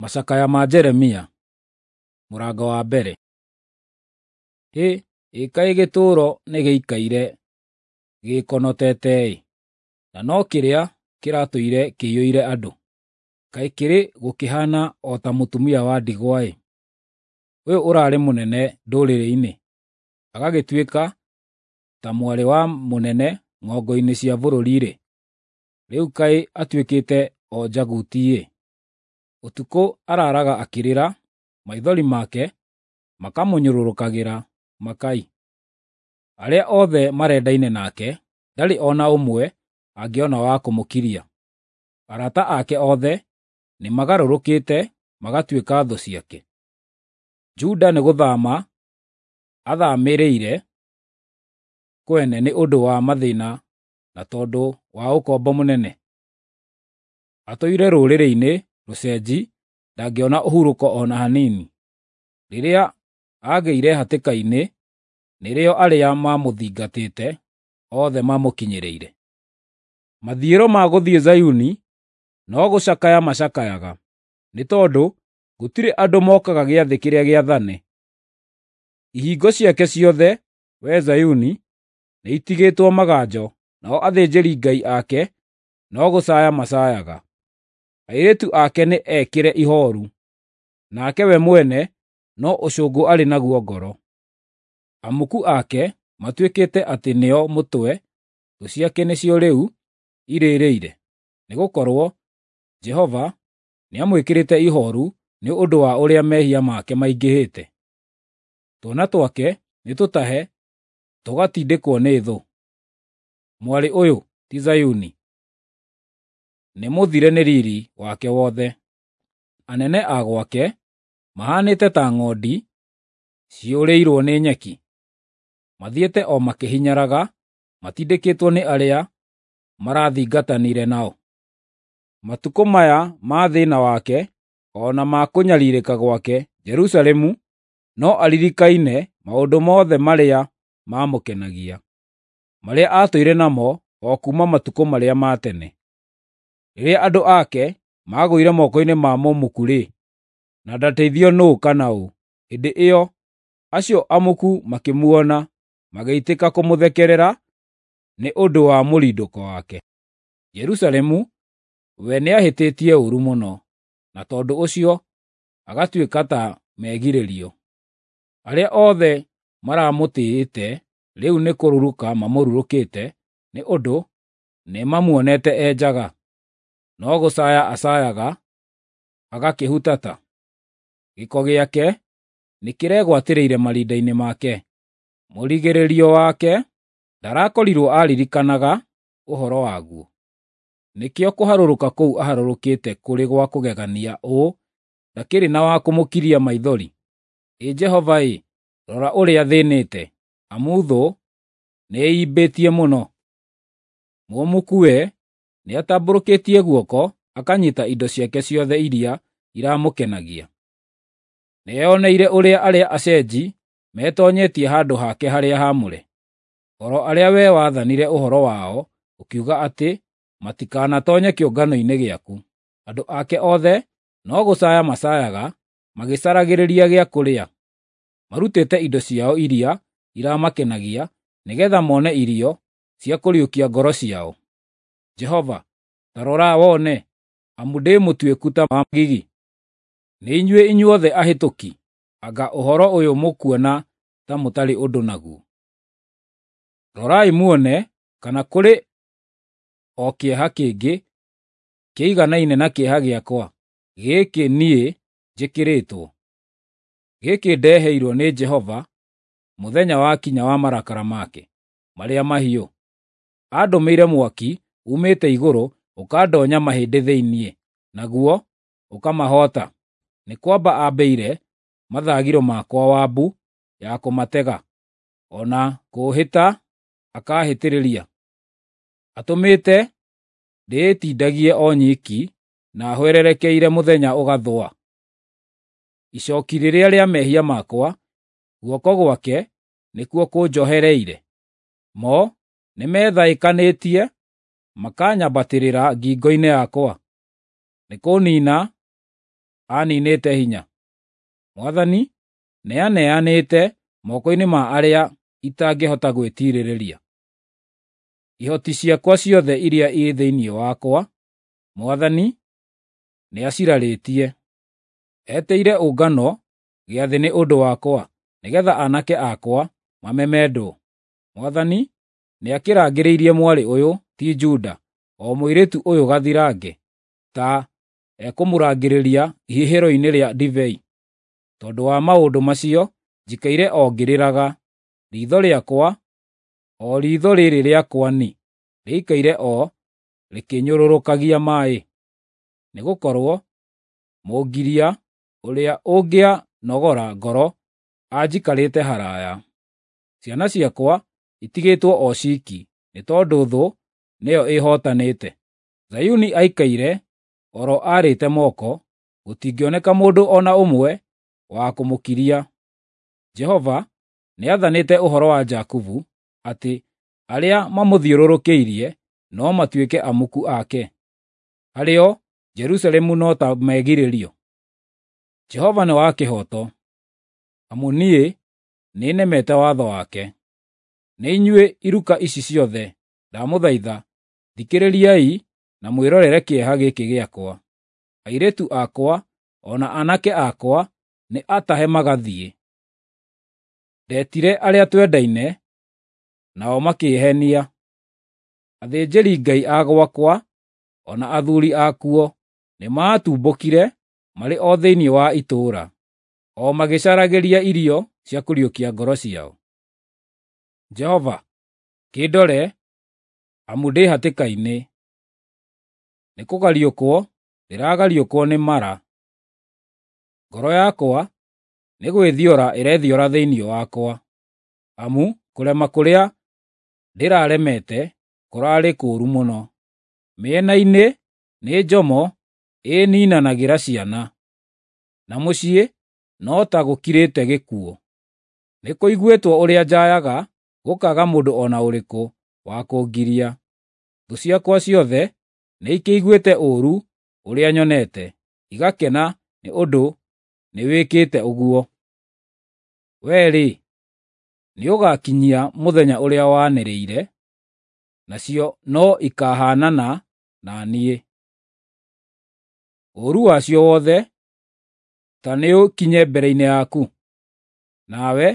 Macakaya ma Jeremia, mũrango wa mbere. Hĩ, ĩ kaĩ gĩtũũro nĩgĩikaire gĩkonotete-ĩ, na no kĩrĩa kĩratũire kĩiyũire andũ! Kaĩ kĩrĩ gũkĩhaana o ta mũtumia wa ndigwa-ĩ! Ũyũ ũrarĩ mũnene ndũrĩrĩ-inĩ, agagĩtuĩka ta mwarĩ wa mũnene ng'ongo-inĩ cia bũrũri-rĩ, rĩu kaĩ atuĩkĩte o njaguti-ĩ! Ũtukũ araaraga akĩrĩra, maithori make makamũnyũrũrũkagĩra makai. Arĩa othe marendaine nake, ndarĩ o na ũmwe angĩona wa kũmũkiria. Arata ake othe nĩmagarũrũkĩte magatuĩka thũ ciake. Juda nĩ gũthama athamĩrĩire kwene nĩ ũndũ wa mathĩna na tondũ wa ũkombo mũnene. Atũire rũrĩrĩ-inĩ rũcenji, ndangĩona ũhurũko o na hanini. Rĩrĩa aagĩire hatĩka-inĩ, nĩrĩo arĩa maamũthingatĩte othe mamũkinyĩrĩire. Mathiĩro ma gũthiĩ Zayuni no gũcakaya macakayaga, nĩ tondũ gũtirĩ andũ mokaga gĩathĩ kĩrĩa gĩathane. Ihingo ciake ciothe, wee Zayuni, nĩitigĩtwo maganjo, nao athĩnjĩri-Ngai ake no gũcaaya macaayaga. Airĩtu ake nĩ ekĩre ihooru, nake we mwene no ũcũngũ arĩ naguo ngoro. Amuku ake matuĩkĩte atĩ nĩo mũtwe, thũ ciake nĩcio rĩu irĩrĩire, nĩgũkorwo Jehova nĩamwĩkĩrĩte ihooru nĩ ũndũ wa ũrĩa mehia make maingĩhĩte. Twana twake nĩtũtahe tũgatindĩkwo nĩ thũ. Mwarĩ ũyũ ti Zayuni, nĩmũthire nĩ riiri wake wothe. Anene a gwake mahaanĩte ta ng'ondi ciũrĩirwo nĩ nyeki, mathiĩte o makĩhinyaraga matindĩkĩtwo nĩ arĩa marathingatanire nao. Matukũ maya ma thĩĩna wake o na ma kũnyariirĩka gwake, Jerusalemu no aririkaine maũndũ mothe marĩa maamũkenagia, marĩa aatũire namo o kuuma matukũ marĩa ma tene. Rĩrĩa andũ ake maagũire moko-inĩ ma mũmuku-rĩ, na ndateithio nũũ kana ũ, hĩndĩ ĩyo acio amuku makĩmuona magĩitĩka kũmũthekerera nĩ ũndũ wa mũrindũko wake. Jerusalemu we nĩahĩtĩtie ũũru mũno, na tondũ ũcio agatuĩka ta megirĩrio. Arĩa othe maramũtĩĩte rĩu nĩ kũrurũka mamũrurũkĩte nĩ ũndũ nĩmamuonete e njaga. No gũcaaya acaayaga agakĩhutata. Gĩko gĩake nĩkĩregwatĩrĩire marinda-inĩ make. Mũrigĩrĩrio wake ndarakorirwo aririkanaga ũhoro waguo. Nĩkĩo kũharũrũka kũu aharũrũkĩte kũrĩ gwa kũgegania ũũ ndakĩrĩ na wa kũmũkiria maithori. Ĩ Jehova-ĩ, rora ũrĩa thĩĩnĩte, amu thũ nĩĩimbĩtie mũno. Mũmuku we nĩatambũrũkĩtie guoko akanyiita indo ciake ciothe iria iramũkenagia. Nĩeyoneire ũrĩa arĩa acenji metoonyetie handũ hake harĩa haamũre, o ro arĩa wee waathanire ũhoro wao ũkiuga atĩ matikanatoonye kĩũngano-inĩ gĩaku. Andũ ake othe no gũcaaya macaayaga magĩcaragĩrĩria gĩa kũrĩa. Marutĩte indo ciao iria iramakenagia nĩgeetha mone irio cia kũriũkia ngoro ciao. Jehova, ta rora wone, amu ndĩ mũtuĩku ta magigi. Nĩ inyuĩ inyuothe ahĩtũki, anga ũhoro ũyũ mũkuona ta mũtarĩ ũndũ naguo. Rorai muone kana kũrĩ o kĩeha kĩngĩ kĩiganaine na kĩeha gĩakwa, gĩkĩ niĩ njĩkĩrĩtwo, gĩkĩ ndeheirwo nĩ Jehova mũthenya wakinya wa marakara make marĩa mahiũ. Andũmĩire mwaki uumĩte igũrũ ũkandoonya mahĩndĩ thĩinĩ, naguo ũkamahoota. Nĩ kwamba aambĩire mathagiro makwa wabu ya kũmatega, o na kũũhĩta akaahĩtĩrĩria. Atũmĩte ndĩĩtindagie o nyiki na hwererekeire mũthenya ũgathũa. Icooki rĩrĩa rĩa mehia makwa, guoko gwake nĩkuo kũnjohereire. Mo nĩmethaĩkanĩtie makanyambatĩrĩra ngingo-inĩ yakwa. Nĩkũniina aniinĩte hinya. Mwathani nĩaneanĩte moko-inĩ ma arĩa itangĩhota gwĩtiirĩrĩria. Ihoti ciakwa ciothe iria irĩ thĩinĩ wakwa, Mwathani nĩacirarĩtie. Etĩire ũngano gĩathĩ nĩ ũndũ wakwa, nĩgeetha aanake akwa mamemendwo. Mwathani nĩakĩrangĩrĩirie mwarĩ ũyũ, ti Juda, o mũirĩtu ũyũ gathirange, ta ekũmũrangĩrĩria ihihĩro-inĩ rĩa ndibei. Tondũ wa maũndũ macio njikaire o ngĩrĩraga, riitho rĩakwa, o riitho rĩĩrĩ rĩakwa ni, rĩikaire o rĩkĩnyũrũrũkagia maaĩ. Nĩgũkorwo mũngiria ũrĩa ũngĩanogora ngoro anjikarĩte haraaya. Ciana ciakwa itigĩtwo o ciiki, nĩ tondũ thũ nĩyo ĩhootanĩte. Zayuni aikaire oro aarĩte moko, gũtingĩoneka mũndũ o na ũmwe wa kũmũkiria. Jehova nĩathanĩte ũhoro wa Jakubu atĩ arĩa mamũthiũrũrũkĩirie no matuĩke amuku ake. Harĩo Jerusalemu no ta megirĩrio. Jehova nĩ wa kĩhooto, amu niĩ nĩnemete watho wake. Nĩ inyuĩ iruka ici ciothe, ndamũthaitha, thikĩrĩriai na mwĩrorere kĩeha gĩkĩ gĩakwa. Airĩtu akwa o na aanake akwa nĩ atahe magathiĩ. Ndeetire arĩa twendaine, nao makĩĩhenia. Athĩnjĩri-Ngai a gwakwa o na athuuri akuo nĩmatumbũkire marĩ o thĩinĩ wa itũũra, o magĩcaragĩria irio cia kũriũkia ngoro ciao. Jehova, kĩndore, amu ndĩ hatĩka-inĩ; nĩkũgariũkwo ndĩragariũkwo nĩ mara. Ngoro yakwa nĩ gwĩthiora ĩrethiora thĩinĩ wakwa, amu kũrema kũrĩa ndĩraremete kũraarĩ kũũru mũno. Mĩena-inĩ nĩ njomo ĩniinanagĩra ciana, na mũciĩ no ta gũkirĩte gĩkuũ. Nĩkũiguĩtwo ũrĩa njaayaga, gũkaaga mũndũ o na ũrĩkũ wa kũngiria. Thũ ciakwa ciothe nĩikĩiguĩte ũũru ũrĩa nyonete, igakena nĩ ũndũ nĩwĩkĩte ũguo. Wee-rĩ, nĩũgakinyia mũthenya ũrĩa wanĩrĩire, nacio no ikahaanana na niĩ. Ũũru wacio wothe ta nĩũkinye mbere-inĩ yaku, nawe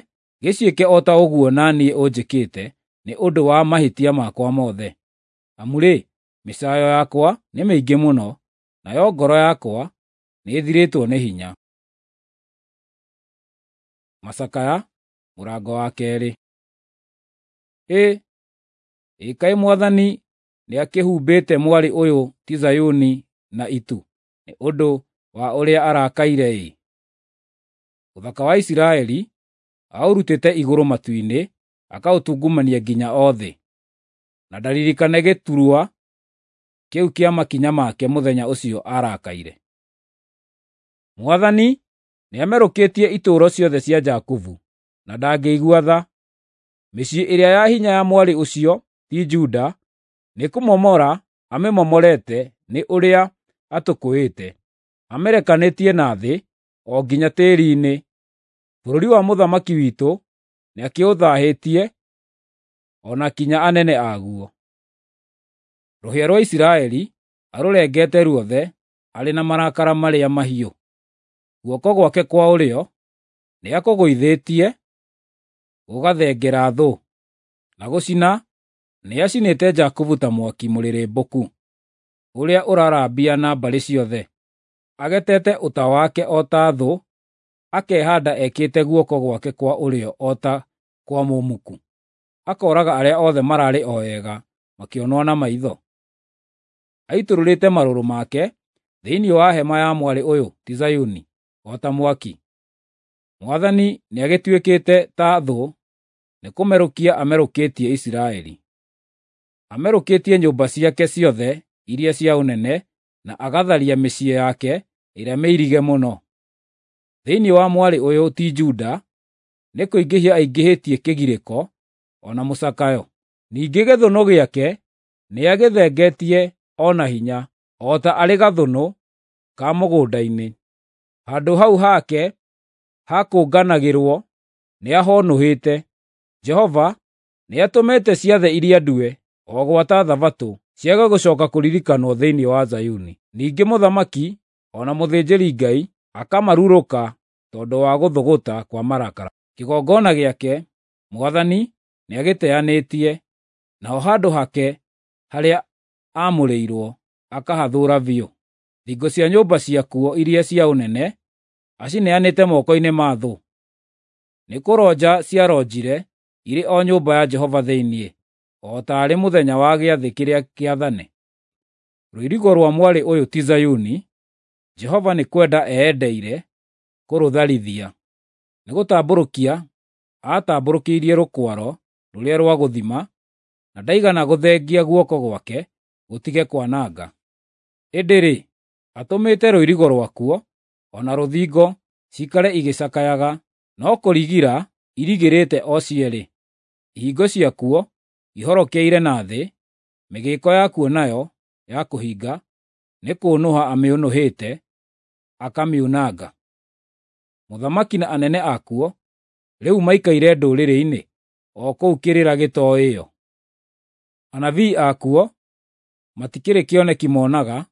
gĩciĩke o ta ũguo na niĩ ũnjĩkĩte nĩ ũndũ wa mahĩtia makwa mothe. Amu-rĩ, mĩcaayo yakwa nĩ mĩingĩ mũno, nayo ngoro yakwa nĩĩthirĩtwo nĩ hinya. Macakaya mũrango wa keerĩ. Ĩ, ĩ kaĩ Mwathani nĩakĩhumbĩte mwarĩ ũyũ ti Zayuni na itu nĩ ũndũ wa ũrĩa arakaire-ĩ! Ũthaka wa Isiraeli aũrutĩte igũrũ matu-inĩ, akaũtungumania nginya o thĩ, na ndaririkane gĩturwa kĩu kĩa makinya make mũthenya ũcio arakaire. Mwathani nĩamerũkĩtie itũũro ciothe cia Jakubu, na ndangĩigua tha. Mĩciĩ ĩrĩa ya hinya ya mwarĩ ũcio ti Juda nĩkũmomora amĩmomorete nĩ ũrĩa atũkũĩte, amĩrekanĩtie na thĩ o nginya tĩĩri-inĩ. Bũrũri wa mũthamaki witũ nĩakĩũthaahĩtie, o na kinya anene aguo. Rũhĩa rwa Isiraeli arũrengete ruothe arĩ na marakara marĩa mahiũ. Guoko gwake kwa ũrĩo nĩakũgũithĩtie gũgathengera thũ, na gũcina nĩacinĩte Jakubu ta mwaki mũrĩrĩmbũku, ũrĩa ũrarambia na mbarĩ ciothe. Agetete ũta wake o ta thũ, akehaanda ekĩte guoko gwake kwa ũrĩo o ta kwa mũmuku, akooraga arĩa othe mararĩ o ega makĩonwo na maitho. Aitũrũrĩte marũrũ make thĩinĩ wa hema ya mwarĩ ũyũ ti Zayuni o ta mwaki. Mwathani nĩagĩtuĩkĩte ta thũ, nĩkũmerũkia amerũkĩtie Isiraeli. Amerũkĩtie nyũmba ciake ciothe iria cia ũnene, na agatharia mĩciĩ yake ĩrĩa mĩirige mũno. Thĩinĩ wa mwarĩ ũyũ ti Juda nĩkũingĩhia aingĩhĩtie kĩgirĩko o na mũcakayo. Ningĩ gĩthũnũ gĩake nĩagĩthengetie o na hinya, o ta arĩ gathũnũ ka mũgũnda-inĩ. Handũ hau hake ha kũnganagĩrwo nĩahonũhĩte. Jehova nĩatũmĩte ciathĩ iria ndue, o gwata Thabatũ, ciage gũcooka kũririkanwo thĩinĩ wa Zayuni. Ningĩ mũthamaki o na mũthĩnjĩri-Ngai akamarurũka tondũ wa gũthũgũta kwa marakara. Kĩgongona gĩake Mwathani nĩagĩteanĩtie, naho handũ hake harĩa aamũrĩirwo akahathũũra biũ. Thingo cia nyũmba ciakuo iria cia ũnene acineanĩte moko-inĩ ma thũ. Nĩkũronja ciaronjire irĩ o nyũmba ya Jehova thĩinĩ, o taarĩ mũthenya wa gĩathĩ kĩrĩa kĩathane. Rũirigo rwa mwarĩ ũyũ ti Zayuni, Jehova nĩ kwenda eendeire kũrũtharithia. Nĩgũtambũrũkia aatambũrũkĩirie rũkwaro rũrĩa rwa gũthima, na ndaigana gũthengia guoko gwake gũtige kwananga. Ĩndĩ-rĩ, atũmĩte rũirigo rwakuo o na rũthingo ciikare igĩcakayaga, no kũrigira irigĩrĩte o cierĩ. Ihingo ciakuo ihorokeire na thĩ, mĩgĩĩko yakuo nayo ya kũhinga nĩ kũũnũha amĩũnũhĩte akamiunanga. Mũthamaki na anene akuo rĩu maikaire ndũrĩrĩ-inĩ, o kũu kĩrĩra gĩtooĩo. Anabii akuo matikĩrĩ kĩoneki moonaga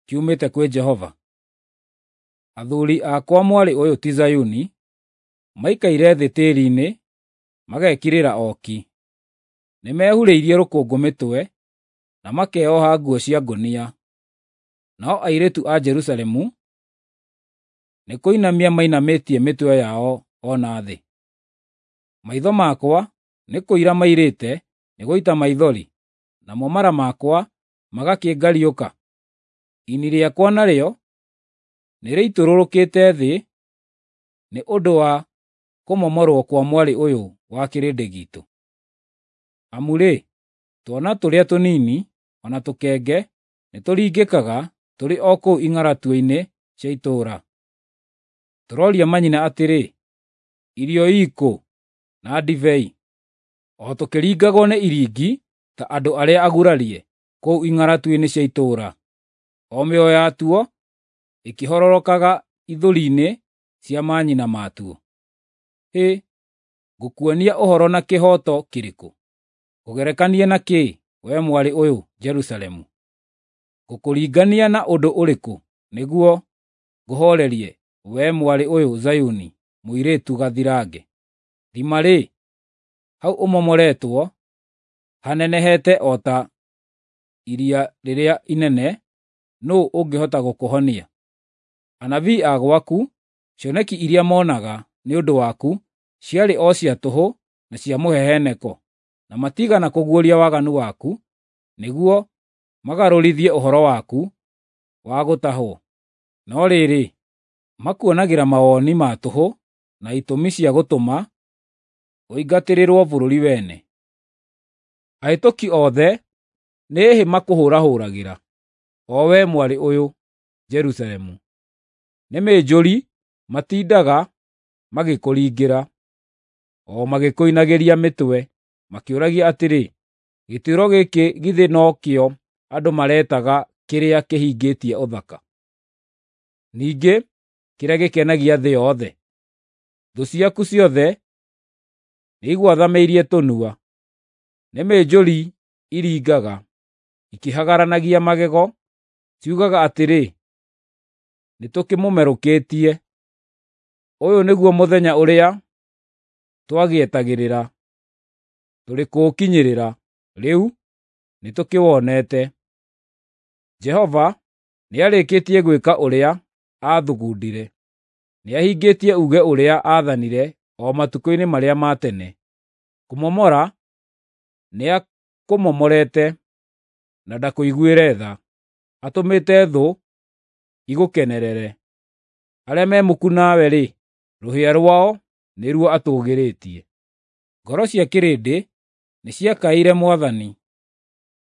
kiumĩte kwĩ Jehova. Athuuri a kwa mwarĩ ũyũ ti Zayuni maikaire thĩ tĩĩri-inĩ, magekirĩra o ki. Nĩmehurĩirie rũkũngũ mĩtwe, na makeoha nguo cia ngũnia. Nao airĩtu a Jerusalemu nĩkũinamia mainamĩtie mĩtwe yao o na thĩ. Maitho makwa nĩ kũira mairĩte nĩ gũita maithori, namo mara makwa magakĩngariũka. Ini rĩakwa narĩo nĩrĩitũrũrũkĩte thĩ nĩ ũndũ wa kũmomorwo kwa mwarĩ ũyũ wa kĩrĩndĩ giitũ. Amu-rĩ, twana tũrĩa tũnini o na tũkenge nĩtũringĩkaga tũrĩ o kũu ing'aratua-inĩ cia itũũra. Tũroria manyina atĩrĩ, “Irio ii kũ, na ndibei?” O tũkĩringagwo nĩ iringi ta andũ arĩa agurarie kũu ing'aratua-inĩ cia itũũra, o mĩoyo yatuo ĩkĩhororokaga ithũri-inĩ cia manyina matuo. Hĩ, ngũkuonia ũhoro na kĩhooto kĩrĩkũ? Ngũgerekanie na kĩ, wee mwarĩ ũyũ Jerusalemu? Ngũkũringania na ũndũ ũrĩkũ nĩguo ngũhoorerie, wee mwarĩ ũyũ Zayuni, mũirĩtu gathirange? Thima-rĩ, hau ũmomoretwo hanenehete o ta iria rĩrĩa inene, nũũ ũngĩhota gũkũhonia? Anabii a gwaku, cioneki iria moonaga nĩ ũndũ waku ciarĩ o cia tũhũ na cia mũheheneko, na matiigana kũguũria waganu waku nĩguo magarũrithie ũhoro waku wa gũtahwo. No rĩrĩ, makuonagĩra mawoni ma tũhũ na itũmi cia gũtũma ũingatĩrĩrwo bũrũri wene. Ahĩtũki othe nĩ hĩ makũhũrahũragĩra, o wee mwarĩ ũyũ Jerusalemu. Nĩ mĩnjũri matindaga magĩkũringĩra, o magĩkũinagĩria mĩtwe, makĩũragia atĩrĩ, “Gĩtũũro gĩkĩ githĩ no kĩo andũ maretaga kĩrĩa kĩhingĩtie ũthaka, ningĩ kĩrĩa gĩkenagia thĩ yothe?” Thũ ciaku ciothe nĩigwathamĩirie tũnua, nĩ mĩnjũri iringaga, ikĩhagaranagia magego, ciugaga atĩrĩ, “Nĩtũkĩmũmerũkĩtie. Ũyũ nĩguo mũthenya ũrĩa twagĩetagĩrĩra, tũrĩ kũũkinyĩrĩra, rĩu nĩtũkĩwonete.” Jehova nĩarĩkĩtie gwĩka ũrĩa aathugundire; nĩahingĩtie uuge ũrĩa aathanire o matukũ-inĩ marĩa ma tene. Kũmomora nĩakũmomorete na ndakũiguĩre tha; atũmĩte thũ igũkenerere. Arĩa me muku nawe-rĩ, rũhĩa rwao nĩruo atũgĩrĩtie. Ngoro cia kĩrĩndĩ nĩciakaĩire Mwathani.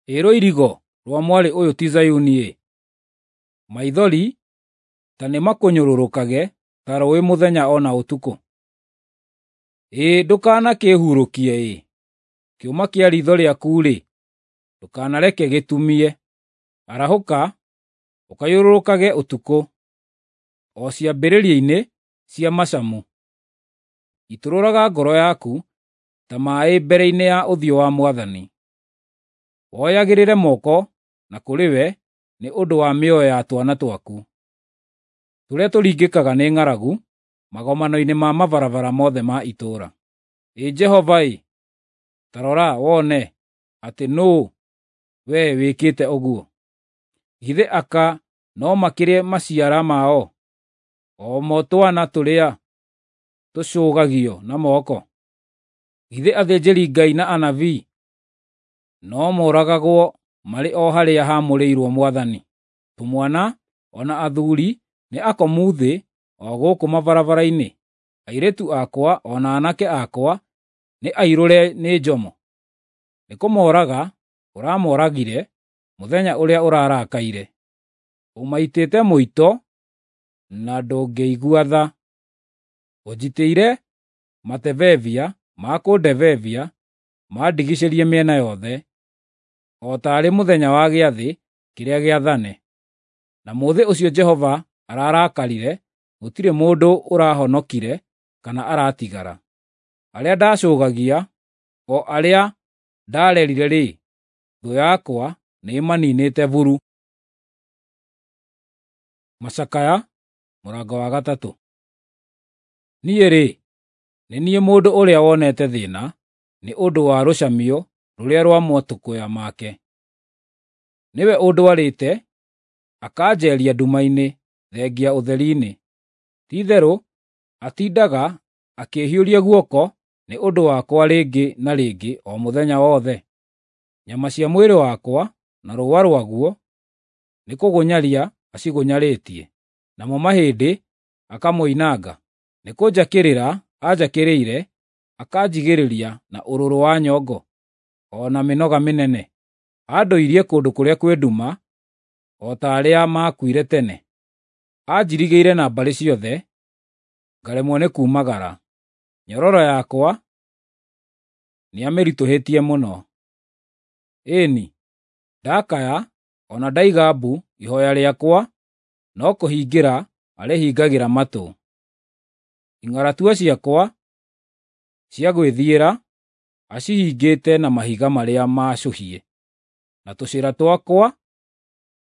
Ĩ rũirigo rwa mwarĩ ũyũ ti Zayuni-ĩ! Maithori ta nĩmakũnyũrũrũkage ta rũũĩ mũthenya o na ũtukũ. Ĩ ndũkanakĩĩhurũkie-ĩ! Kĩũma kĩa riitho rĩaku-rĩ, ndũkanareke gĩtumie. Arahũka, ũkayũrũrũkage ũtukũ, o ciambĩrĩria-inĩ cia macamu. Itũrũraga ngoro yaku ta maĩ mbere-inĩ ya ũthiũ wa Mwathani. Woyagĩrĩre moko na kũrĩ we nĩ ũndũ wa mĩoyo ya twana twaku, tũrĩa tũringĩkaga nĩ ng'aragu magomano-inĩ ma mabarabara mothe ma itũũra. Ĩ Jehova-ĩ, ta rora wone atĩ nũũ wee wĩkĩte ũguo. Githĩ aka no makĩrĩe maciara mao, o mo twana tũrĩa tũcũgagio na moko? Githĩ athĩnjĩri-Ngai na anabii no moragagwo marĩ o harĩa haamũrĩirwo Mwathani? Tũmwana o na athuuri nĩ akomu thĩ o gũkũ mabarabara-inĩ, airĩtu akwa o na aanake akwa nĩ airũre nĩ njomo. Nĩkũmooraga ũramooragire mũthenya ũrĩa ũrarakaire, ũmaitĩte mũito na ndũngĩigua tha. Ũnjitĩire matebebia ma kũndebebia mandigicĩrie mĩena yothe, o taarĩ mũthenya wa gĩathĩ kĩrĩa gĩathane. Na mũthĩ ũcio Jehova ararakarire, gũtirĩ mũndũ ũrahonokire kana aratigara. Arĩa ndacũgagia, o arĩa ndarerire-rĩ, thũ yakwa nĩĩmaninĩte buru. Macakaya mũrango wa gatatũ. Niĩ-rĩ, nĩ niĩ mũndũ ũrĩa wonete thĩĩna nĩ ũndũ wa rũcamio rũrĩa rwa matũkũya make. Nĩwe ũndwarĩte, akanjeeria nduma-inĩ thengia ũtheri-inĩ. Ti-itherũ atindaga akĩĩhiũria guoko nĩ ũndũ wakwa rĩngĩ na rĩngĩ o mũthenya wothe. Nyama cia mwĩrĩ wakwa na rũũa rwaguo nĩkũgũnyaria acigũnyarĩtie, namo mahĩndĩ akamoinanga. Nĩkũnjakĩrĩra anjakĩrĩire, akanjigĩrĩria na ũrũrũ wa nyongo, o na mĩnoga mĩnene. Andũirie kũndũ kũrĩa kwĩ nduma, o ta arĩa maakuire tene. Anjirigĩire na mbarĩ ciothe, ngaremwo nĩ kuumagara. Nyororo yakwa nĩamĩritũhĩtie mũno. Ĩĩ-ni, ndakaya o na ndaiga mbu ihooya rĩakwa no kũhingĩra arĩhingagĩra matũ. Ing'aratua ciakwa cia gwĩthiĩra acihingĩte na mahiga marĩa maacũhie, na tũcĩra twakwa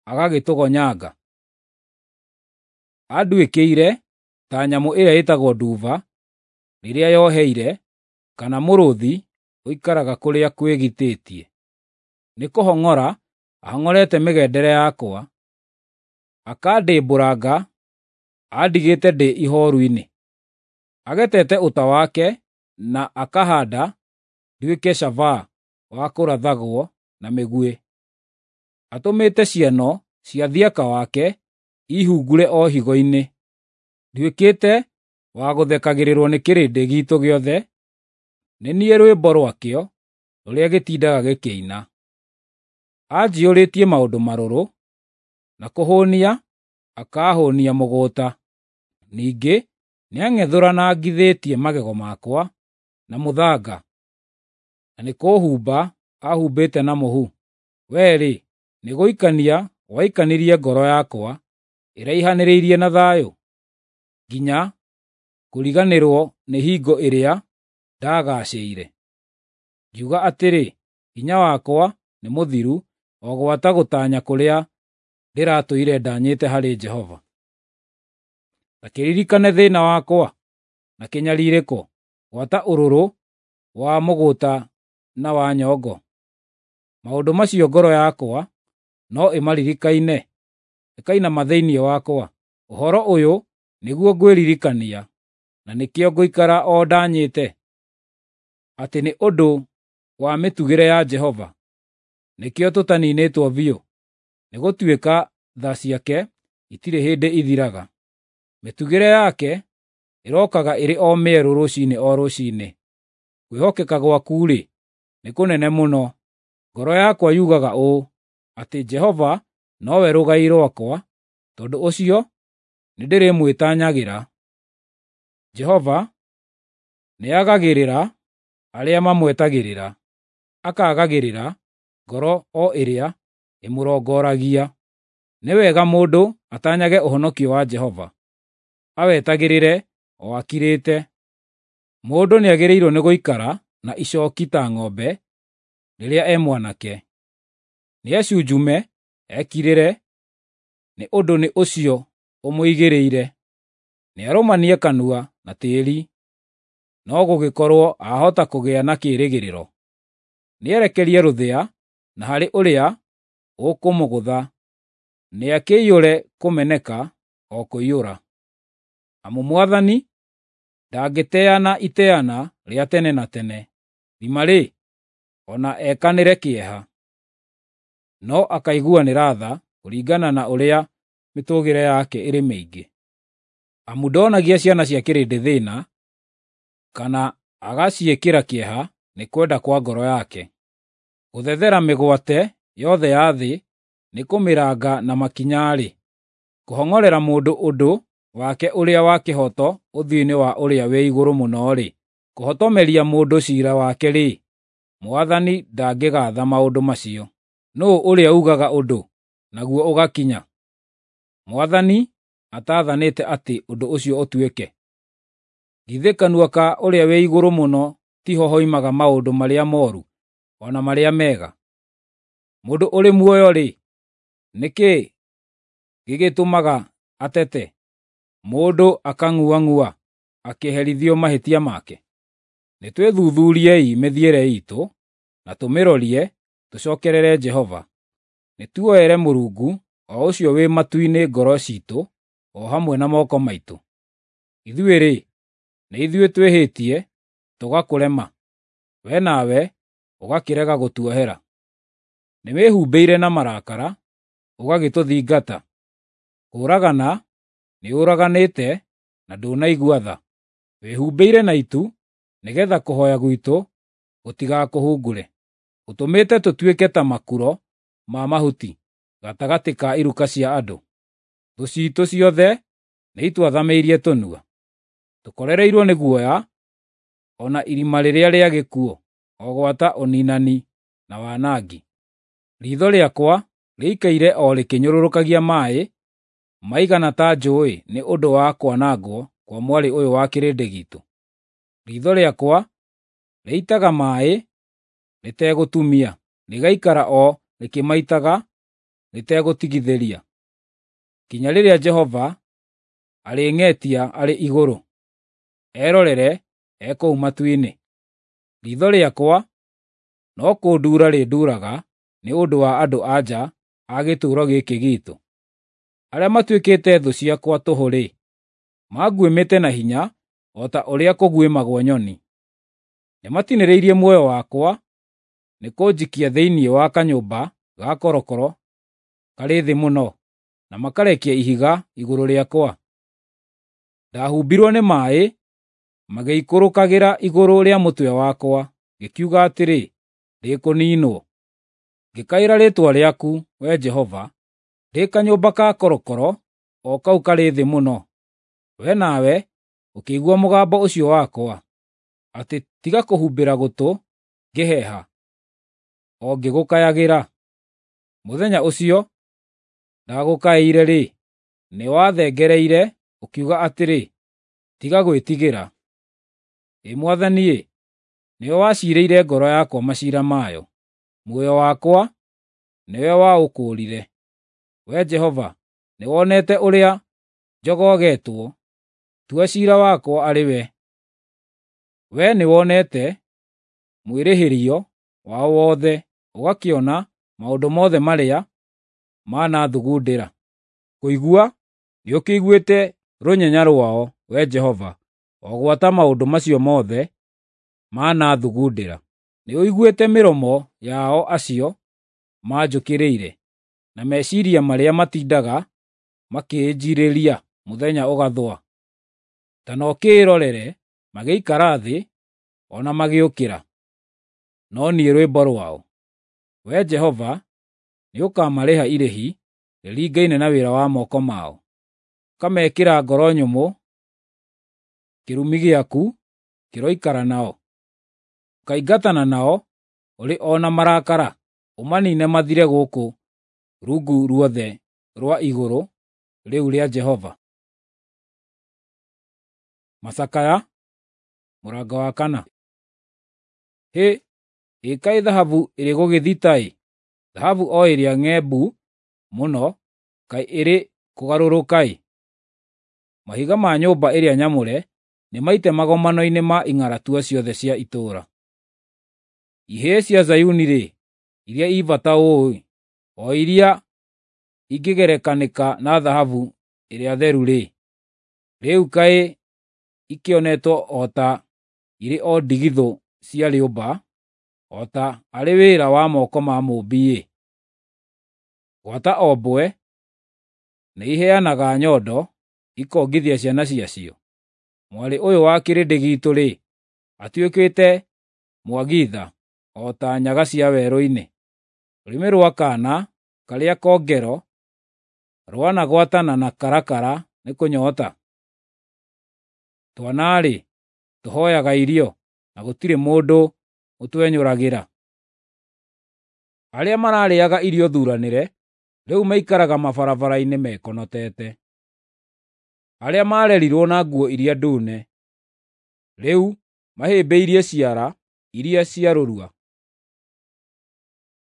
agagĩtũgonyanga. Anduĩkĩire ta nyamũ ĩrĩa ĩtagwo nduba rĩrĩa yoheire, kana mũrũũthi ũikaraga kũrĩa kwĩgitĩtie. Nĩkũhong'ora ahong'orete mĩgendere yakwa, akandĩmbũranga andigĩte ndĩ ihooru-inĩ. Agetete ũta wake na akahaanda nduĩke cabaa wa kũrathagwo na mĩguĩ. Atũmĩte ciano cia thiaka wake ihungure o higo-inĩ. Nduĩkĩte wa gũthekagĩrĩrwo nĩ kĩrĩndĩ giitũ gĩothe, nĩ niĩ rwĩmbo rwakĩo rũrĩa gĩtindaga gĩkĩina. Anjiyũrĩtie maũndũ marũrũ, na kũhũũnia akaahũũnia mũgũta. Ningĩ nĩang'ethũranangithĩtie magego makwa na mũthanga, na nĩkũũhumba ahumbĩte na mũhu. Wee-rĩ, nĩgũikania waikanirie ngoro yakwa ĩraihanĩrĩirie na thayũ, nginya kũriganĩrwo nĩ hingo ĩrĩa ndagaacĩire. Ngiuga atĩrĩ, hinya wakwa nĩ mũthiru o gwata gũtanya kũrĩa ndĩratũire ndanyĩte harĩ Jehova. Ta kĩririkane thĩĩna wakwa na kĩnyariirĩko, gwata ũrũrũ wa mũgũta na wa nyongo. Maũndũ macio ngoro yakwa no ĩmaririkaine, ĩkainama thĩinĩ wakwa. Ũhoro ũyũ nĩguo ngwĩririkania, na nĩkĩo ngũikara o ndanyĩte, atĩ nĩ ũndũ wa mĩtugĩre ya Jehova nĩkĩo tũtaniinĩtwo biũ, nĩgũtuĩka tha ciake itirĩ hĩndĩ ithiraga. Mĩtugĩre yake ĩrokaga ĩrĩ o mĩerũ rũciinĩ o rũciinĩ. Kwĩhokeka gwaku-rĩ, nĩ kũnene mũno. Ngoro yakwa yugaga ũũ, atĩ Jehova nowe rũgai rwakwa, tondũ ũcio nĩndĩrĩmwĩtanyagĩra. Jehova nĩagagĩrĩra arĩa mamwetagĩrĩra, akaagagĩrĩra ngoro o ĩrĩa ĩmũrongoragia. Nĩ wega mũndũ atanyage ũhonokio wa Jehova. awetagĩrĩre o akirĩte. Mũndũ nĩagĩrĩirwo nĩ gũikara na icooki ta ng'ombe rĩrĩa e mwanake. Nĩecunjume, ekirĩre, nĩ ũndũ nĩ ũcio ũmũigĩrĩire. Nĩarũmanie kanua na tĩĩri, no gũgĩkorwo ahota kũgĩa na kĩĩrĩgĩrĩro. Nĩerekerie rũthĩa na harĩ ũrĩa ũkũmũgũtha, nĩakĩiyũre kũmeneka o kũiyũra. Amu Mwathani ndangĩteana iteana rĩa tene na tene, thima-rĩ, o na ekanĩre kĩeha. No akaiguanĩra tha kũringana na ũrĩa mĩtũgĩre yake ĩrĩ mĩingĩ. Amu ndonagia ciana cia kĩrĩndĩ thĩna, kana agaciĩkĩra kĩeha nĩ kwenda kwa ngoro yake. Gũthethera mĩgwate yothe ya thĩ nĩ kũmĩranga na makinya-rĩ, kũhong'orera mũndũ ũndũ wake ũrĩa wa kĩhooto ũthiũ-inĩ wa Ũrĩa-wĩ-Igũrũ-Mũno-rĩ, kũhotomeria mũndũ ciira wake-rĩ, Mwathani ndangĩgaatha maũndũ macio. Nũũ ũrĩa uugaga ũndũ, naguo ũgakinya, Mwathani ataathanĩte atĩ ũndũ ũcio ũtuĩke? Githĩ kanua ka Ũrĩa-wĩ-Igũrũ-Mũno tiho hoimaga maũndũ marĩa mooru o na marĩa mega? Mũndũ ũrĩ muoyo-rĩ, nĩ kĩĩ gĩgĩtũmaga atete, mũndũ akang'uang'ua akĩherithio mahĩtia make? Nĩtwĩthuthuuriei mĩthiĩre iitũ, na tũmĩrorie, tũcookerere Jehova. Nĩtuoere Mũrungu o ũcio wĩ matu-inĩ ngoro ciitũ o hamwe na moko maitũ. Ithuĩ-rĩ, nĩ ithuĩ twĩhĩtie tũgakũrema, we nawe ũgakĩrega gũtuohera. Nĩwĩhumbĩire na marakara, ũgagĩtũthingata. Kũũragana nĩũraganĩte na ndũnaigua tha. Wĩhumbĩire na itu nĩgeetha kũhooya gwitũ gũtigakũhungure. Ũtũmĩte tũtuĩke ta makuro ma mahuti gatagatĩ ka iruka cia andũ. Thũ ciitũ ciothe nĩitwathamĩirie tũnua. Tũkorereirwo nĩ guoya o na irima rĩrĩa rĩa gĩkuũ, o gwata ũniinani na wanangi. Riitho rĩakwa rĩikaire o rĩkĩnyũrũrũkagia maaĩ maigana ta njũũĩ nĩ ũndũ wa kwanangwo kwa mwarĩ ũyũ wa kĩrĩndĩ giitũ. Riitho rĩakwa rĩitaga maaĩ rĩtegũtumia, rĩgaikara o rĩkĩmaitaga rĩtegũtigithĩria, nginya rĩrĩa Jehova arĩng'etia arĩ igũrũ, erorere e kũu matu-inĩ. Riitho rĩakwa no kũnduura rĩnduuraga nĩ ũndũ wa andũ-a-nja a gĩtũũro gĩkĩ giitũ. Arĩa matuĩkĩte thũ ciakwa tũhũ-rĩ, manguĩmĩte na hinya o ta ũrĩa kũguĩmagwo nyoni. Nĩmatinĩrĩirie muoyo wakwa nĩ kũnjikia thĩinĩ wa kanyũmba ga korokoro karĩ thĩ mũno, na makarekia ihiga igũrũ rĩakwa. Ndahumbirwo nĩ maaĩ magĩikũrũkagĩra igũrũ rĩa mũtwe wakwa, ngĩkiuga atĩrĩ, “Ndĩkũniinwo.” Ngĩkaĩra rĩĩtwa rĩaku, Wee Jehova, ndĩ kanyũmba ka korokoro o kau karĩ thĩ mũno. Wee nawe ũkĩigua mũgambo ũcio wakwa, atĩ tiga kũhumbĩra gũtũ ngĩheeha, o ngĩgũkayagĩra. Mũthenya ũcio ndagũkaĩire-rĩ, nĩwathengereire ũkiuga atĩrĩ, “Tiga gwĩtigĩra.” Ĩ Mwathani-ĩ, nĩwe waciirĩire ngoro yakwa maciira mayo, muoyo wakwa nĩwe waũkũũrire. Wee Jehova, nĩwonete ũrĩa njogogetwo, tua ciira wakwa arĩ we. Wee nĩwonete mwĩrĩhĩrio wao wothe, ũgakĩona maũndũ mothe marĩa manathugundĩra. Kũigua nĩũkĩiguĩte rũnyenya rwao, Wee Jehova, o gwata maũndũ macio mothe manathugundĩra. Nĩũiguĩte mĩromo yao acio manjũkĩrĩire, na meciiria marĩa matindaga makĩnjiirĩria mũthenya ũgathũa. Ta no kĩĩrorere magĩikara thĩ o na magĩũkĩra, no niĩ rwĩmbo rwao. Wee Jehova, nĩũkamarĩha irĩhi rĩringaine na wĩra wa moko mao, ũkamekĩra ngoro nyũmũ, kĩrumi gĩaku kĩroikara nao. Ũkaingatana nao ũrĩ o na marakara, ũmaniine mathire gũkũ rungu ruothe rwa igũrũ rĩu rĩa Jehova. Macakaya, mũrango wa kana. Hĩ, ĩ kaĩ thahabu ĩrĩ gũgĩthita-ĩ, thahabu o ĩrĩa ng'embu mũno kaĩ ĩrĩ kũgarũrũka-ĩ! Mahiga ma nyũmba ĩrĩa nyamũre nĩmaite magomano-inĩ ma ing'aratua ciothe cia itũũra. Ihĩĩ cia Zayuni-rĩ, iria i bata ũũ-ĩ, o iria ingĩgerekanĩka na thahabu ĩrĩa theru-rĩ, rĩu kaĩ ikĩonetwo o ta irĩ o ndigithũ cia rĩũmba, o ta arĩ wĩra wa moko ma mũũmbi-ĩ! Gwata o mbwe nĩiheanaga nyondo ikongithia ciana ciacio. Mwarĩ ũyũ wa kĩrĩndĩ giitũ-rĩ, atuĩkĩte mwagi-tha o ta nyaga cia werũ-inĩ. Rũrĩmĩ rwa kaana karĩa kongero rwanagwatana na karakara nĩ kũnyota. Twana-rĩ, tũhooyaga irio, na gũtirĩ mũndũ ũtwenyũragĩra. Arĩa mararĩĩaga irio thuranĩre rĩu maikaraga mabarabara-inĩ mekonotete. Arĩa maarerirwo na nguo iria ndune, rĩu mahĩmbĩirie ciara iria cia rũrua.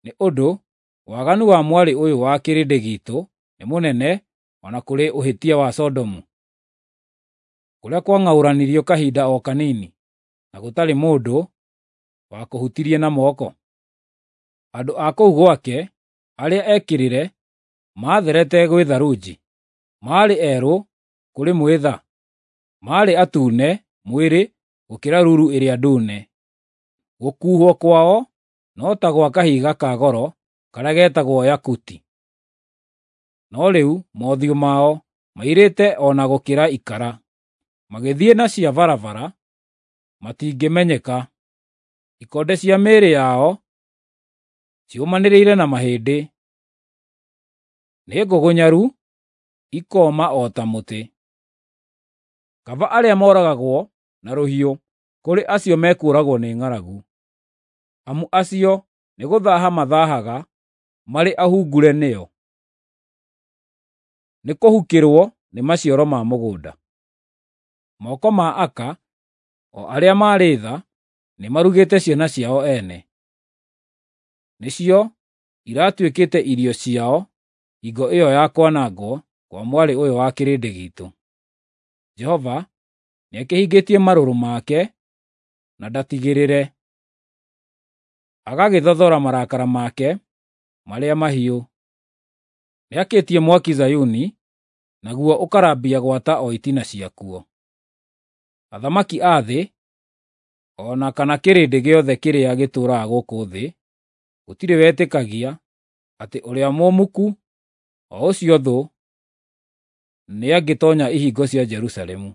Nĩ ũndũ waganu wa mwarĩ ũyũ wa kĩrĩndĩ giitũ nĩ mũnene o na kũrĩ ũhĩtia wa Sodomu, kũrĩa kwang'aũranirio kahinda o kanini, na gũtarĩ mũndũ wakũhutirie na moko. Andũ a kũu gwake arĩa ekĩrĩre maatherete gwĩ tharunji, maarĩ erũ kũrĩ mwĩtha, maarĩ atune mwĩrĩ gũkĩra ruru ĩrĩa ndune. Gũkuhwo kwao no ta gwa kahiga ka goro karĩa getagwo yakuti. No rĩu mothiũ mao mairĩte o na gũkĩra ikara, magĩthiĩ na cia barabara matingĩmenyeka. Ikonde cia mĩĩrĩ yao ciũmanĩrĩire na mahĩndĩ, nĩ ngũgũnyaru ikooma o ta mũtĩ. Kaba arĩa moragagwo na rũhiũ kũrĩ acio mekũũragwo nĩ ng'aragu, amu acio nĩgũthaaha mathaahaga marĩ ahungure nĩo. Nĩ kũhukĩrwo nĩ maciaro ma mũgũnda. Moko ma aka, o arĩa marĩ tha, nĩmarugĩte ciana ciao ene. Nĩcio iratuĩkĩte irio ciao hingo ĩyo ya kwanangwo kwa mwarĩ ũyũ wa kĩrĩndĩ giitũ. Jehova nĩakĩhingĩtie marũrũ make na ndatigĩrĩre, agagĩthothora marakara make marĩa mahiũ. Nĩakĩtie mwaki Zayuni, naguo ũkarambia gwata o itina ciakuo. Athamaki a thĩ, o na kana kĩrĩndĩ gĩothe kĩrĩa gĩtũũraga gũkũ thĩ, gũtirĩ wetĩkagia atĩ ũrĩa mũmuku, o ũcio thũ, nĩangĩtoonya ihingo cia Jerusalemu.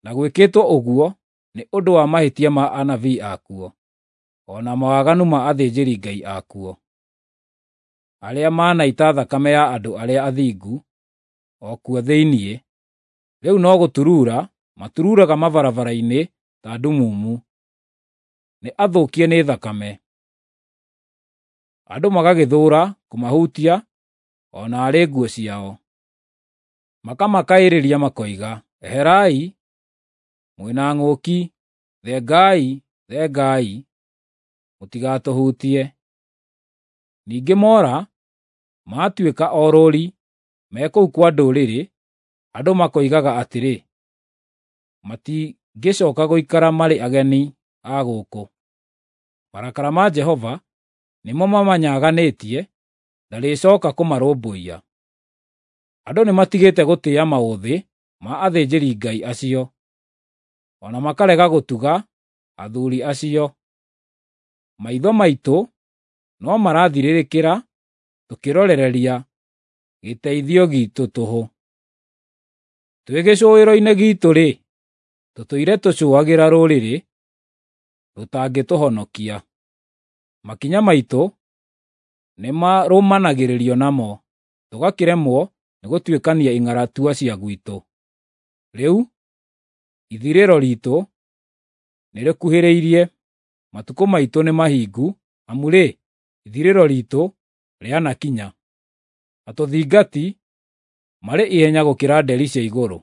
Na gwĩkĩtwo ũguo nĩ ũndũ wa mahĩtia ma anabii akuo, o na mawaganu ma athĩnjĩri-Ngai akuo, arĩa manaita thakame ya andũ arĩa athingu o kuo thĩinĩ, rĩu no gũturuura maturuuraga mabarabara-inĩ ta ndumumu, nĩ athũkie nĩ thakame. Andũ magagĩthũũra kũmahutia o na arĩ nguo ciao. Makamakaĩrĩria makoiga, “Eherai, mwĩna ng'ũki! Thengai, thengai, mũtigatũhutie!” Ningĩ moora, maatuĩka orũũri me kũu kwa ndũrĩrĩ, andũ makoigaga atĩrĩ, “Matingĩcooka gũikara marĩ ageni a gũkũ.” Marakara ma Jehova nĩmo mamanyaganĩtie, ndarĩcooka kũmarũmbũiya. Andũ nĩmatigĩte gũtĩĩa maũthĩ ma athĩnjĩri-Ngai acio, o na makarega gũtuga athuuri acio. Maitho maitũ no marathirĩrĩkĩra tũkĩrorereria gĩteithio giitũ tũhũ. Twĩ gĩcũĩro-inĩ giitũ-rĩ, tũtũire tũcũagĩra rũrĩrĩ rũtangĩtũhonokia. Makinya maitũ nĩmarũmanagĩrĩrio namo, tũgakĩremwo nĩgũtuĩkania ing'aratua cia gwitũ. Rĩu ithirĩro riitũ nĩrĩkuhĩrĩirie, matukũ maitũ nĩmahingu, amu-rĩ, ithirĩro riitũ rĩanakinya. Atũthingati marĩ ihenya gũkĩra nderi cia igũrũ.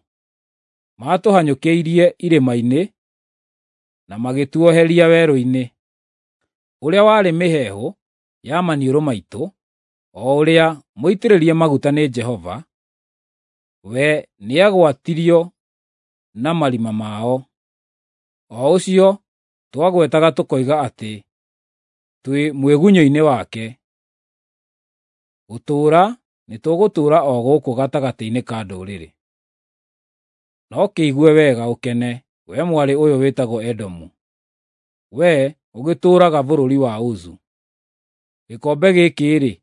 Maatũhanyũkĩirie irĩma-inĩ na magĩtuoheria werũ-inĩ. Ũrĩa warĩ mĩheehũ ya maniũrũ maitũ, o ũrĩa mũitĩrĩrie maguta nĩ Jehova, we nĩagwatirio na marima mao, o ũcio twagwetaga tũkoiga atĩ twĩ mwĩgunyũ-inĩ wake. Gũtũũra nĩtũgũtũũra o gũkũ gatagatĩ-inĩ ka ndũrĩrĩ. No kĩigue wega ũkene, wee mwarĩ ũyũ wĩtagwo Edomu, wee ũgĩtũũraga bũrũri wa Uzu. Gĩkombe gĩkĩ-rĩ,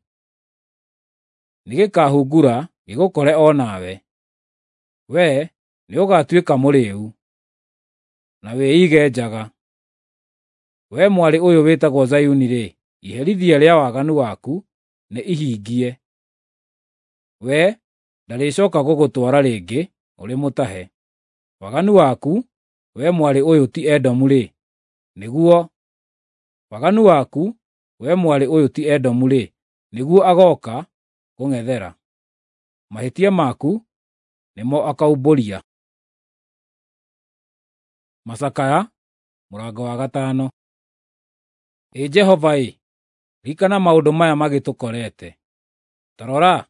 nĩgĩkahungura gĩgũkore o nawe. Wee nĩũgatuĩka mũrĩĩu, na wĩige njaga. Wee mwarĩ ũyũ wĩtagwo Zayuni-rĩ, iherithia rĩa waganu waku nĩ ihingie. We ndarĩcooka gũgũtwara rĩngĩ ũrĩ mũtahe. Waganu waku, wee mwarĩ ũyũ ti Edomu-rĩ, nĩguo waganu waku, wee mwarĩ ũyũ ti Edomu-rĩ, nĩguo agooka kũng'ethera. Mahĩtia maku nĩmo akaumbũria. Macakaya mũrango wa 5. Ĩ Jehova-ĩ, ririkana maũndũ maya magĩtũkorete. Ta rora,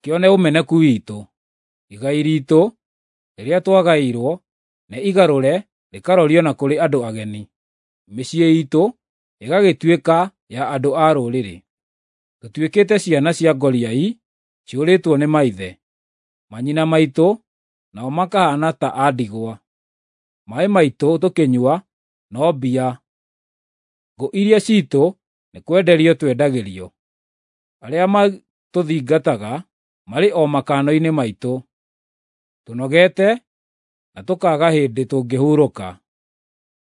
kĩone ũmeneku witũ. Igai riitũ rĩrĩa twagaĩirwo nĩ igarũre rĩkarorio na kũrĩ andũ ageni, mĩciĩ iitũ ĩgagĩtuĩka ya andũ a rũrĩrĩ. Tũtuĩkĩte ciana cia ngoriai ciũrĩtwo nĩ maithe, manyina maitũ nao makahaana ta a ndigwa. Maaĩ maitũ tũkĩnyua no mbia, ngũ iria ciitũ nĩ kwenderio twendagĩrio. Arĩa matũthingataga marĩ o makano-inĩ maitũ, tũnogete na tũkaaga hĩndĩ tũngĩhurũka.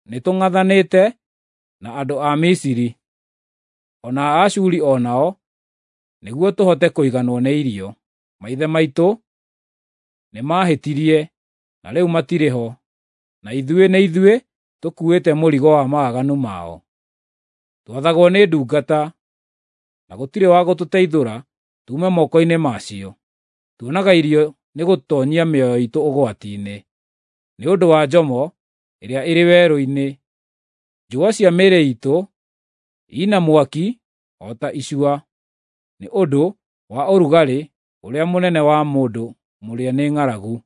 Nĩtũng'athanĩte na andũ a Misiri, o na a Ashuri o nao, nĩguo tũhote kũiganwo nĩ irio. Maithe maitũ nĩmahĩtirie na rĩu matirĩ ho, na ithuĩ nĩ ithuĩ tũkuĩte mũrigo wa mawaganu mao. Twathagwo nĩ ndungata, na gũtirĩ wa gũtũteithũra tuume moko-inĩ macio. Tuonaga irio nĩ gũtoonyia mĩoyo iitũ ũgwati-inĩ, nĩ ũndũ wa njomo ĩrĩa ĩrĩ werũ-inĩ. Njũa cia mĩĩrĩ iitũ ina mwaki o ta icua, nĩ ũndũ wa ũrugarĩ ũrĩa mũnene wa mũndũ mũrĩe nĩ ng'aragu.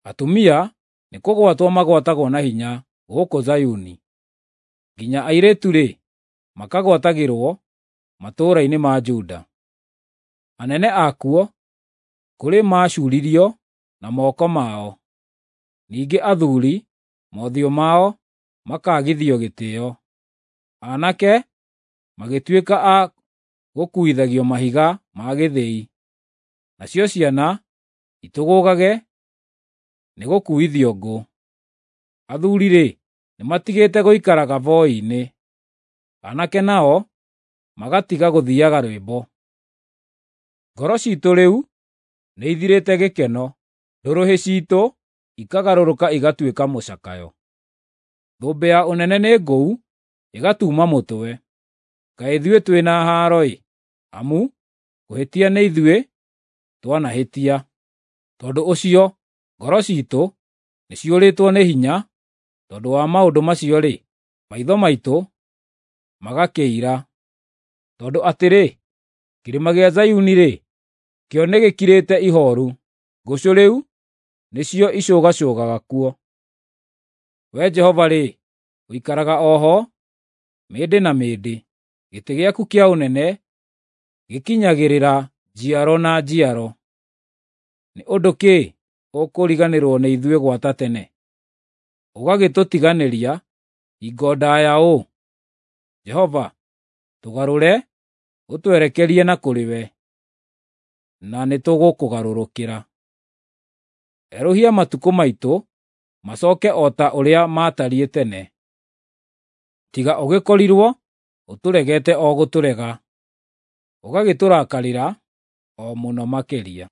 Atumia nĩ kũgwatwo magwatagwo na hinya gũkũ Zayuni, nginya airĩtu-rĩ, makagwatagĩrwo matũũra-inĩ ma Juda. Anene akuo kũrĩ maacuuririo na moko mao, ningĩ athuuri mothiũ mao makaagithio gĩtĩĩo. Aanake magĩtuĩka a gũkuuithagio mahiga ma gĩthĩi, nacio ciana itũgũgage nĩ gũkuuithio ngũ. Athuuri-rĩ, nĩmatigĩte gũikaraga boi-inĩ, aanake nao magatiga gũthiiaga rwĩmbo. Ngoro ciitũ rĩu nĩithirĩte gĩkeno, ndũrũhĩ ciitũ ikagarũrũka igatuĩka mũcakayo. Thũmbĩ ya ũnene nĩ ngũu ĩgatuuma mũtwe. Kaĩ ithuĩ twĩ na haaro-ĩ, amu kũhĩtia nĩ ithuĩ twanahĩtia. Tondũ ũcio ngoro ciitũ nĩciũrĩtwo nĩ hinya, tondũ wa maũndũ macio-rĩ, maitho maitũ magakĩira. Tondũ atĩrĩ, kĩrĩma gĩa Zayuni-rĩ, kĩo nĩgĩkirĩte ihooru, ngũcũ rĩu nĩcio icũgacũgaga kuo. Wee Jehova-rĩ, ũikaraga o ho mĩndĩ na mĩndĩ, gĩtĩ gĩaku kĩa ũnene gĩkinyagĩrĩra njiaro na njiaro. Nĩ ũndũ kĩ ũkũriganĩrwo nĩ ithuĩ gwata tene, ũgagĩtũtiganĩria hingo ndaaya ũũ? Jehova, tũgarũre ũtwerekerie na kũrĩ we, na nĩtũgũkũgarũrũkĩra. Erũhia matukũ maitũ macooke o ta ũrĩa maatariĩ tene. Tiga ũgĩkorirwo ũtũregete o gũtũrega, ũgagĩtũrakarĩra o mũno makĩria.